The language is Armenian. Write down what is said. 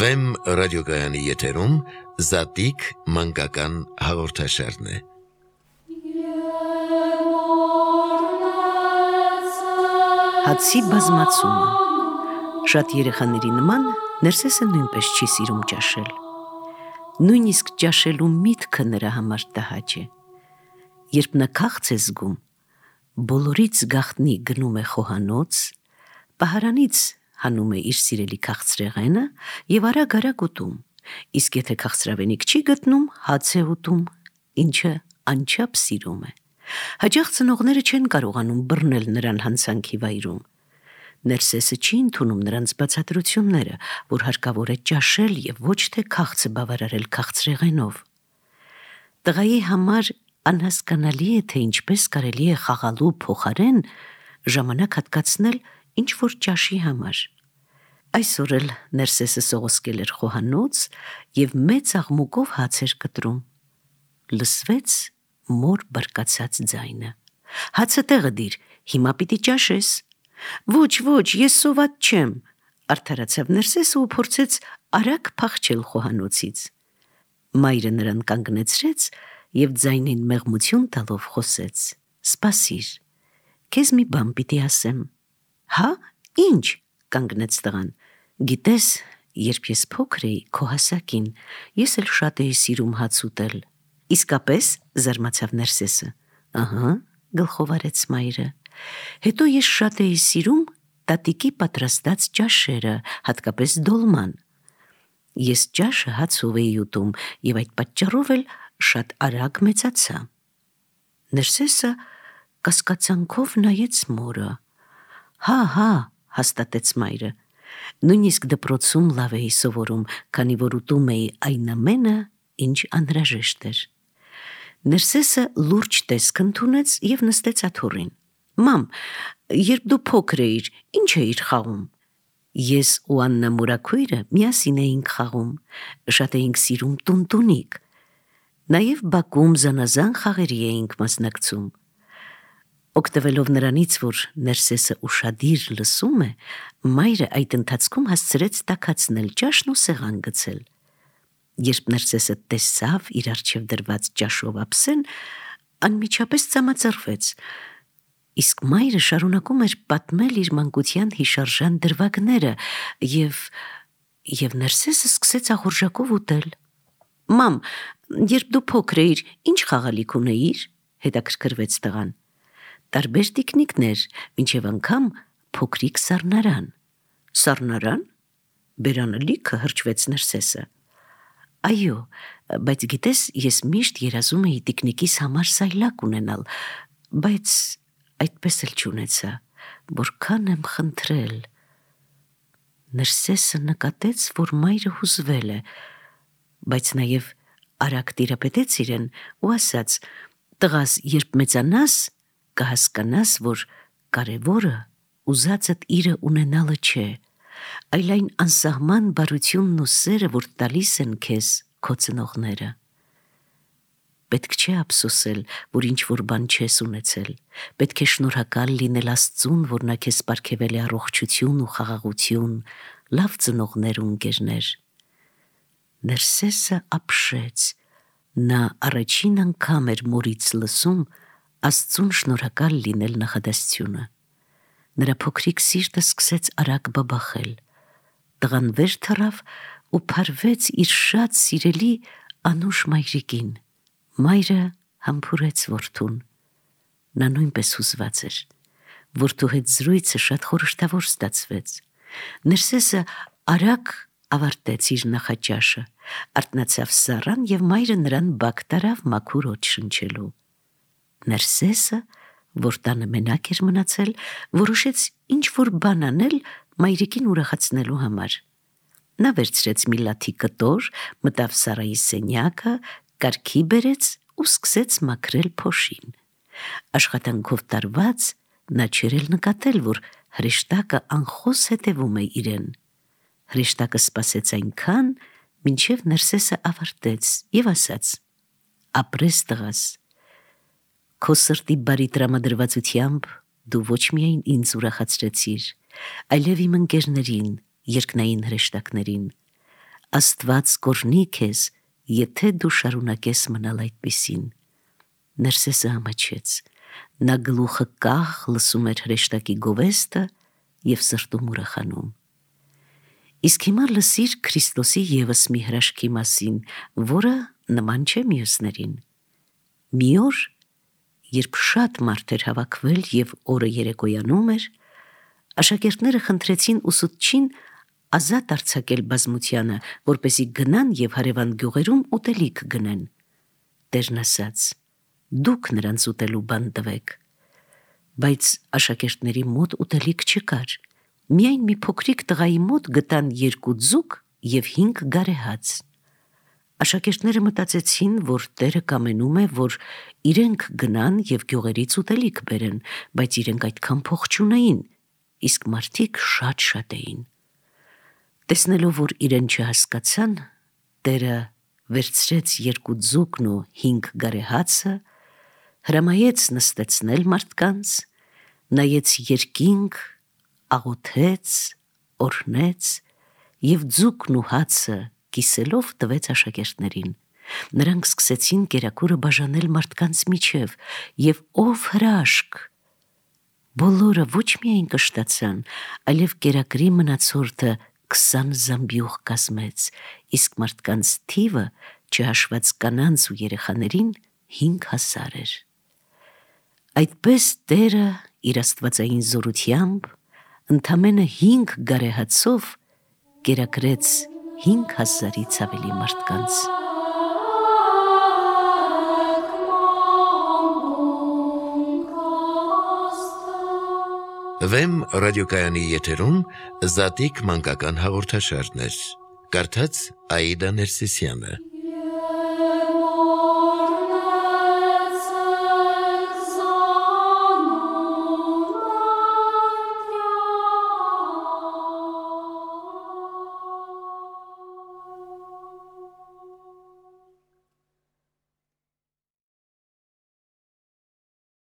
Վեմ ռադիոգայանի եթերում Զատիկ մանկական հաղորդաշարն է։ Հացի բազմացումը։ Շատ երեխաների նման Ներսեսը նույնպես չի սիրում ճաշել։ Նույնիսկ ճաշելու միտքը նրա համար տհաճ է։ Երբ նա քաղց է զգում, բոլորից գաղտնի գնում է խոհանոց, պահարանից հանում է իր սիրելի քաղցրեղենը և արագ ուտում, իսկ եթե քաղցրավենիք չի գտնում, հաց է ուտում, ինչը անչափ սիրում է։ Հաճախ ծնողները չեն կարողանում բռնել նրան հանցանքի վայրում։ Ներսեսը չի ընդունում նրանց բացատրությունները, որ հարկավոր է ճաշել և ոչ թե քաղցը բավարարել քաղցրեղենով։ Տղայի համար անհասկանալի է, թե ինչպես կարելի է խաղալու փոխարեն ժամանակ հատկացնել ինչ-որ ճաշի համար։ Այսօր էլ Ներսեսը սողոսկել էր խոհանոց և մեծ աղմուկով հաց էր կտրում։ Լսվեց մոր բարկացած ձայնը. «Հացը տեղը դիր, հիմա պիտի ճաշես»։ «Ոչ, ես սոված չեմ», արդարացավ Ներսեսը ու փորձեց արագ փախչել խոհանոցից։ Մայրը նրան կանգնեցրեց և ձայնին մեղմություն տալով խոսեց. «Սպասիր, քեզ մի բան պիտի ասեմ»։ «Հա, ինչ»։ Կանգնեց տղան։ «Գիտես, երբ ես փոքր էի քո հասակին, ես էլ շատ էի սիրում հաց ուտել»։ «Իսկապես», զարմացավ Ներսեսը։ «Ահա», գլխով արեց մայրը։ «Հետո ես շատ էի սիրում տատիկի պատրաստած ճաշերը, հատկապես դոլման։ Ես ճաշը հացով էի ուտում և այդ պատճառով էլ շատ արագ մեծացա»։ Ներսեսը կասկածանքով նայեց մորը։ «Հա», հաստատեց մայրը։ «Նույնիսկ դպրոցում լավ էի սովորում, քանի որ ուտում էի այն ամենը, ինչ անհրաժեշտ էր»։ Ներսեսը լուրջ տեսք ընդունեց և նստեց աթոռին։ «Մամ, երբ դու փոքր էիր, ինչ էիր խաղում»։ «Ես ու Աննա մորաքույրը միասին էինք խաղում, շատ էինք սիրում տունտունիկ։ Նաև բակում զանազան խաղերի էինք մասնակցում»։ Օգտվելով նրանից, որ Ներսեսը ուշադիր լսում է, մայրը այդ ընթացքում հասցրեց տաքացնել ճաշն ու սեղան գցել։ Երբ Ներսեսը տեսավ իր առջև դրված ճաշով ափսեն, անմիջապես ծամածրվեց, իսկ մայրը շարունակում էր պատմել իր մանկության հիշարժան դրվագները, և Ներսեսը սկսեց ախորժակով ուտել։ «Մամ, երբ դու փոքր էիր, ինչ խաղալիք ունեիր»։ հետաքրքրվեց տղան։ «Տարբեր տիկնիկներ, մինչև անգամ փոքրիկ սառնարան»։ «Սառնարան»։ Բերանը լիքը հրճվեց Ներսեսը։ «Այո, բայց գիտես, ես միշտ երազում էի տիկնիկիս համար սայլակ ունենալ, բայց այդպես էլ չունեցա, որքան եմ խնդրել»։ Ներսեսը նկատեց, որ մայրը հուզվել է, բայց նաև արագ տիրապետեց իրեն ու ասաց. «Տղաս, երբ մեծանաս, կհասկանաս, որ կարևորը ուզածդ իրը ունենալը չէ, այլ այն անսահման բարությունն ու սերը, որ տալիս են քեզ քո ծնողները։ Պետք չէ ափսոսել, որ ինչ-որ բան չես ունեցել, պետք է շնորհակալ լինել Աստծուն, որ նա քեզ պարգևել է առողջություն ու խաղաղություն, լավ ծնողներ ու ընկերներ»։ Ներսեսը ապշեց։ Նա առաջին անգամ էր մորից լսում Աստծուն շնորհակալ լինել նախադասությունը։ Նրա փոքրիկ սիրտը սկսեց արագ բաբախել։ Տղան վեր թռավ ու փարվեց իր շատ սիրելի անուշ մայրիկին։ Մայրը համբուրեց որդուն։ Նա նույնպես հուզված էր։ Որդու հետ զրույցը շատ խորհրդավոր ստացվեց։ Ներսեսը արագ ավարտեց իր նախաճաշը, արթնացավ սառան և մայրը նրան բակ տարավ մաքուր օդ շնչելու։ Ներսեսը, որ տանը մենակ էր մնացել, որոշեց ինչ-որ բան անել մայրիկին ուրախացնելու համար։ Նա վերցրեց մի լաթի կտոր, մտավ Սառայի սենյակը, կարգի բերեց ու սկսեց մաքրել փոշին։ Աշխատանքով տարված նա չէր էլ նկատել, որ հրեշտակը անխոս հետևում է իրեն։ Հրեշտակը սպասեց այնքան, մինչև Ներսեսը ավարտեց և ասաց. «Ապրես, տղաս, քո սրտի բարի տրամադրվածությամբ դու ոչ միայն ինձ ուրախացրեցիր, այլև իմ ընկերներին, երկնային հրեշտակներին։ Աստված կօրհնի քեզ, եթե դու շարունակես մնալ այդպիսին։ Ներսեսը ամաչեց, նա գլուխը կախ լսում էր հրեշտակի գովեստը և սրտում ուրախանում։ Իսկ հիմա լսիր Քրիստոսի ևս մի հրաշքի մասին, որը նման չէ մյուսներին։ Մի օր, երբ շատ մարդ էր հավաքվել և օրը երեկոյանում էր, աշակերտները խնդրեցին ուսուցչին ազատ արձակել բազմությանը, որպեսզի գնան և հարևան գյուղերում ուտելիք գնեն։ Տերն ասաց. «Դուք նրանց ուտելու բան տվեք»։ Բայց աշակերտների մոտ ուտելիք չկար։ Միայն մի փոքրիկ տղայի մոտ գտան 2 ձուկ և 5 գարեհաց։ Աշակերտները մտածեցին, որ Տերը կամենում է, որ իրենք գնան և գյուղերից ուտելիք բերեն, բայց իրենք այդքան փող չունեին, իսկ մարդիկ շատ էին։ Տեսնելով, որ իրեն չհասկացան, Տերը վերցրեց 2 ձուկն ու 5 գարեհացը, հրամայեց նստեցնել մարդկանց, նայեց երկինք, աղոթեց, օրհնեց և ձուկն ու հացը կիսելով տվեց աշակերտներին։ Նրանք սկսեցին կերակուրը բաժանել մարդկանց միջև, և ով հրաշք. բոլորը ոչ միայն կշտացան, այլև կերակրի մնացորդը 20 զամբյուղ կազմեց, իսկ մարդկանց թիվը, չհաշված կանանց ու երեխաներին, 5000 էր։ Այդպես Տերը իր աստվածային զորությամբ ընդամենը 5 գարեհացով կերակրեց 5000-ից ավելի մարդկանց։ Վեմ ռադիոկայանի եթերում Զատիկ մանկական հաղորդաշարներ։ Կարդաց Աիդա Ներսիսյանը։